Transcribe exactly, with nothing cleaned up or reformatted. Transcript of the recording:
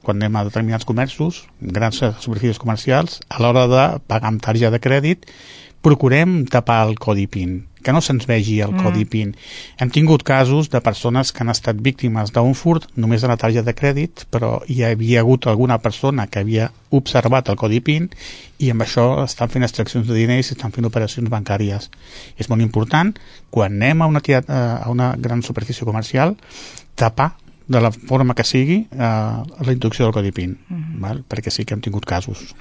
quan anem a determinats comerços, grans superfícies comercials, a l'hora de pagar amb targeta de crèdit, procurem tapar el codi PIN, que no se'ns vegi el mm. codi PIN. Hem tingut casos de persones que han estat víctimes d'un furt només de la targeta de crèdit, però hi havia hagut alguna persona que havia observat el codi PIN i amb això estan fent extraccions de diners i estan fent operacions bancàries. És molt important, quan anem a una, a una gran superfície comercial, tapar de la forma que sigui eh, la introducció del codi PIN, mm. val? Perquè sí que hem tingut casos.